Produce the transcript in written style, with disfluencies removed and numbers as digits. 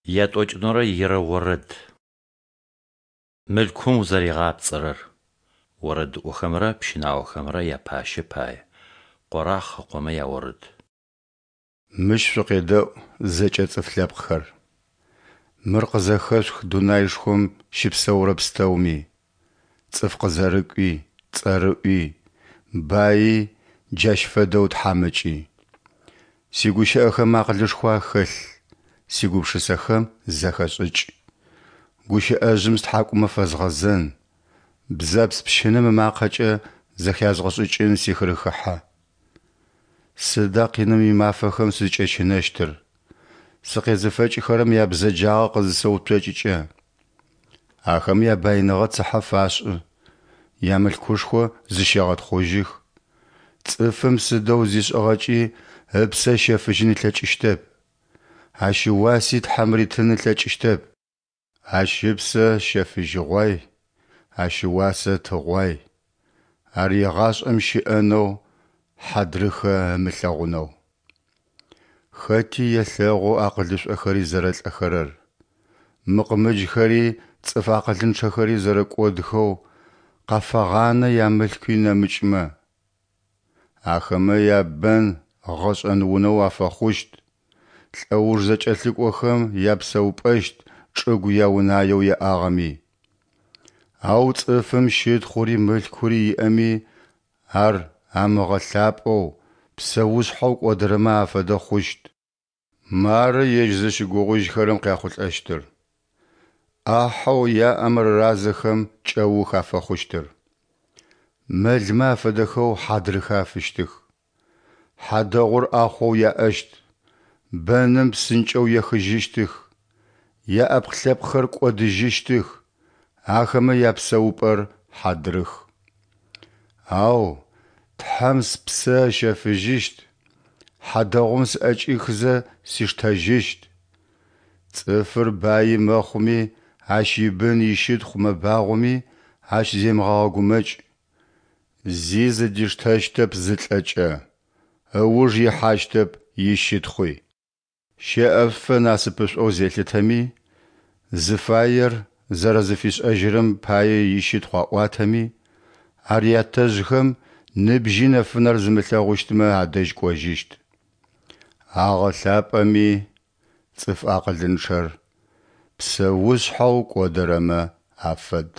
Ятӏокӏэнэрэ ирэ орэд. Мылъкум узэригъапцӏэрэр. Орэдыӏохэмрэ пщынаохэмрэ япащэ пае. Къорахъ ыкъомэ яорэд. Мыщ шъукъедэӏу, зэкӏэ цӏыф лъэпкъхэр! Мыр къызэхэшъух дунаишхом щыпсэурэ пстэуми: цӏыф къызэрыкӏуи, цӏэрыӏуи, баи, джащ фэдэу тхьамыкӏи. Сигущыӏэхэм акъылышхо ахэлъ, сигупшысэхэм зэхэшӏыкӏ. Гущыӏэжъым стхьакӏумэ фэзгъэзэн, бзэпс пщынэм ымакъэкӏэ зэхязгъэшӏыкӏын сихырыхыхьэ. Сыда къиным имафэхэм сызкӏэщынэщтыр, сыкъезыфэкӏыхэрэм ябзэджагъэ къызысэуцокӏыкӏэ? Ахэм ябаиныгъэ цыхьэ фашӏы, ямылъкушхо зыщегъэтхъужьых. Цӏыфым сыдэу зишӏыгъэкӏи ыпсэ ыщэфыжьын ылъэкӏыщтэп. Ащ ыуаси Тхьэм ритын ылъэкӏыщтэп. Ащ ыпсэ щэфыжьыгъуай, ащ ыуасэ тыгъуай, ар егъашӏэм щыӏэнэу, хьадрыхэ ымылъэгъунэу. Хэти елъэгъу акъылышӏохэри зэрэлӏэхэрэр, мыкъмыджхэри цӏыф акъылынчъэхэри зэрэкӏодхэу, къафагъанэ ямылъкуи нэмыкӏмэ. Ахэмэ ябэн гъэшӏэн унэу афэхъущт, лӏэуж зэкӏэлъыкӏохэм япсэупӏэщт чӏыгу яунаеу яӏагъэми. Ау цӏыфым щытхъури мылъкури иӏэми, ар амыгъэлъапӏэу, псэушъхьэу кӏодырэмэ афэдэ хъущт. Мары ежь зыщыгугъыжьхэрэм къяхъулӏэщтыр, ӏахьэу яӏэм рыразэхэм кӏэух афэхъущтыр. Мэлмэ афэдэхэу хьадрыхэ афыщтых. Хьадэгъур ӏахъоу яӏэщт, бэным псынкӏэу ехыжьыщтых, яӏэпкъ-лъэпкъхэр кӏодыжьыщтых, ахэмэ япсэупӏэр хьадрых. Ау Тхьэм спсэ ыщэфыжьыщт, хьадэгъум сӏэкӏихзэ сиштэжьыщт. Цӏыфыр баи мэхъуми, ащ ибын ищытхъу мэбагъоми, ащ земыгъэгъэгумэкӏ. Зи зыдиштэщтэп зылӏэкӏэ, ыуж ихьащтэп ищытхъуи. Щэӏэфэ насыпышӏоу зелъытэми, зыфаер зэрэзыфишӏэжьырэм пае ищытхъу аӏуатэми, ар ятэжъхэм ныбжьи нэфынэр зымылъэгъущтмэ адэжь кӏожьыщт. Агъэлъапӏэми, цӏыф акъылынчъэр псэушъхьэу кӏодырэмэ афэд.